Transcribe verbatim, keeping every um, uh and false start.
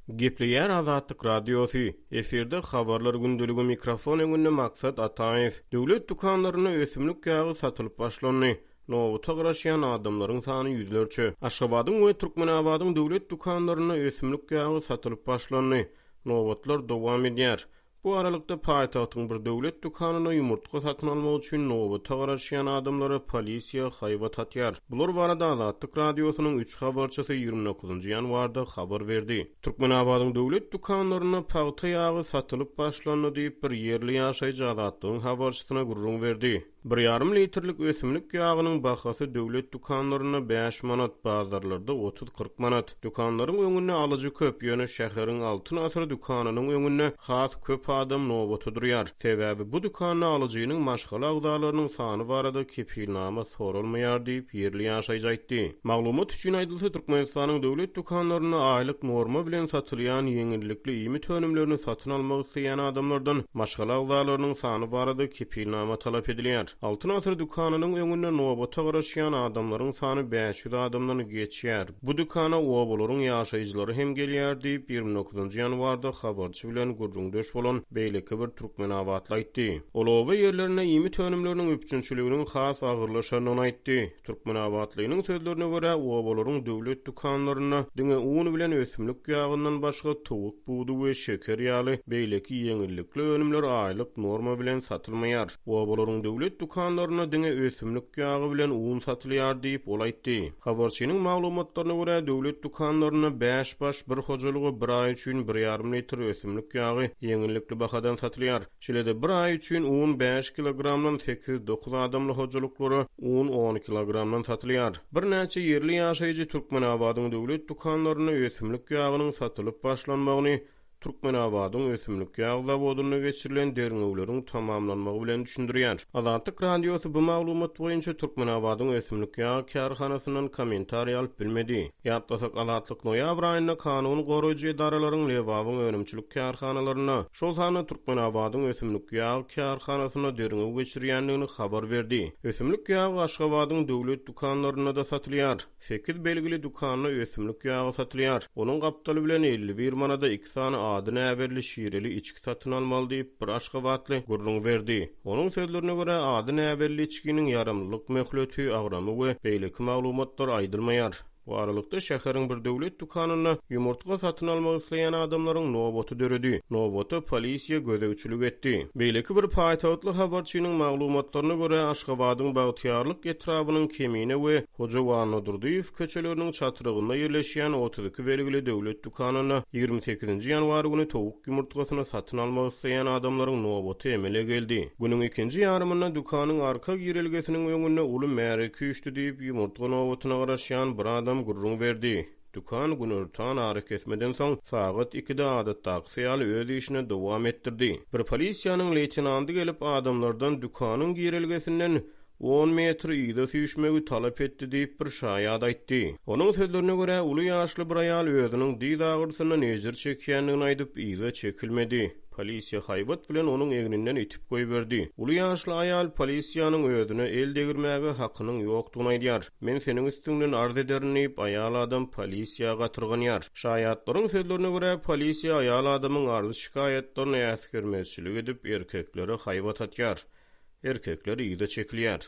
Gepleýär Azatlyk Radiosy, efirde Habarlar gündeligi mikrofon öňünde Maksat Ataýew. Döwlet dükanlarynda ösümlik ýagy satylyp başlandy. Nobata garaşýan adamlaryň sany ýüzlerçe. Aşgabadyň we Türkmenabadyň döwlet dükanlarynda ösümlik ýagy satylyp başlandy. Nobatlar dowam edýär. Bu aralykda paýtagtyň bir döwlet dükanynda ýumurtga satyn almak üçin nobata garaşýan adamlara polisiýa haýbat atýar. Bular barada Azatlyk Radiosynyň üç habarçysy ýigrimi dokuzynjy ýanwarda habar berdi. Türkmenabadyň döwlet dükanlarynda pagta ýagy satylyp başlandy diýip, bir ýerli ýaşaýjy Azatlygyň habarçysyna gürrüň berdi. Bir ýarym litrlik ösümlik ýagynyň bahasy döwlet dükanlarynda bäş manat, bazarlarda otuz-kyrk manat. Dükanlaryň öňünde alyjy köp, ýöne şäheriň Altyn asyr dükanynyň öňünde has köp adam nobata durýar. Sebäbi bu dükanda alyjynyň maşgala agzalarynyň sany barada kepilnama soralmaýar diýip, ýerli ýaşaýjy aýtdy. Maglumat üçin aýdylsa, Türkmenistanyň döwlet dükanlarynda aýlyk norma bilen satylýan ýeňillikli iýmit önümlerini satyn almak isleýän adamlardan maşgala agzalarynyň sany barada kepilnama talap edilýär. Altyn asyr dükanynyň öňünde nobata garaşýan adamlaryň sany bäş ýüz adamdan geçýär. Bu dükana obalaryň ýaşaýjylary hem gelýär diýip, ýigrimi dokuzynjy ýanwarda habarçy bilen gürrüňdeş bolan beýleki bir türkmenabatly aýtdy. Ol oba ýerlerinde iýmit önümleriniň üpjünçiliginiň has agyrlaşandygyny aýtdy. Türkmenabatlynyň sözlerine görä, obalaryň döwlet dükanlarynda diňe un bilen ösümlik ýagyndan başga towuk budy we şeker ýaly beýleki ýeňillikli önümler aýlyk norma bilen satylmaýar. Obalaryň döwlet dükanlarynda diňe ösümlik ýagy bilen un satylýar diýip, ol aýtdy. Habarçynyň maglumatlaryna görä, döwlet dükanlarynda bäş baş bir hojalyga bir aý üçin bir ýarym litr ösümlik ýagy ýeňillikli bahadan satylýar. Şeýle-de bir aý üçin un bäş kilogramdan sekiz-dokuz adamly hojalyklara un on kilogramdan satylýar. Birnäçe ýerli ýaşaýjy Türkmenabadyň döwlet dükanlarynda ösümlik ýagynyň satylyp başlanmagyny Türkmenabadyň ösümlik ýag zawodynda geçirilen derňewleriň tamamlanmagy bilen düşündirýär. Azatlyk Radiosy bu maglumat boýunça Türkmenabadyň ösümlik ýag kärhanasyndan kommentariý alyp bilmedi. Ýatlasak, Azatlyk noýabr aýynda kanun goraýjy edaralaryň Lebabyň önümçilik kärhanalarynda, şol sanda Türkmenabadyň ösümlik ýag kärhanasynda derňew geçirýändigini habar berdi. Ösümlik ýagy Aşgabadyň döwlet dükanlarynda-da satylýar. Sekiz belgili dükanda ösümlik ýagy satylýar. Onuň gapdaly bilen elli bir manada iki sany ady näbelli şireli içki satyn almaly diýip, bir aşgabatly gürrüň berdi. Onuň sözlerine görä, ady näbelli içkiniň ýaramlylyk möhleti, agramy we beýleki maglumatlar aýdylmaýar. Bu aralykda şäheriň bir döwlet dükanynda ýumurtga satyn almak isleýän adamlaryň nobaty döredi. Nobata polisiýa gözegçilik etdi. Beýleki bir paýtagtly habarçynyň maglumatlaryna görä, Aşgabadyň Bagtyýarlyk etrabynyň Kemine we Hoja Annadurdyýew köçeleriniň çatrygynda ýerleşýän otuz iki belgili döwlet dükanynda ýigrimi sekizinji ýanwar güni towuk ýumurtgasyny satyn almak isleýän adamlaryň nobaty emele geldi. Günüň ikinji ýarymynda dükanyň arka girelgesiniň öňünde uly märeke üýşdi diýip, ýumurtga nobatyna garaşýan bir adam gürrüň berdi. Dükan günortan arakesmeden soň sagat ikide adatdakysy ýaly öz işine dowam etdirdi. Bir polisiýanyň leýtenanty gelip adamlardan dükanyň girelgesinden on metr yza süýşmegi talap etdi diýip bir şaýat aýtdy. Onuň sözlerine görä, uly ýaşly bir aýal özüniň dyz agyrysyndan ejir çekýändigini aýdyp, yza çekilmedi. Polisiýa haýbat bilen onuň egninden itip goýberdi. Uly ýaşly aýal polisiýanyň özüne el degirmäge hakynyň ýokdugyny aýdýar. Men seniň üstüňden arz ederin diýip, aýal adam polisiýa gatyrganýar. Şaýatlaryň sözlerine görä, polisiýa aýal adamyň arz şikaýatlaryny äsgermezçilik edip, erkeklere haýbat atýar. Erkekler yza çekilýär.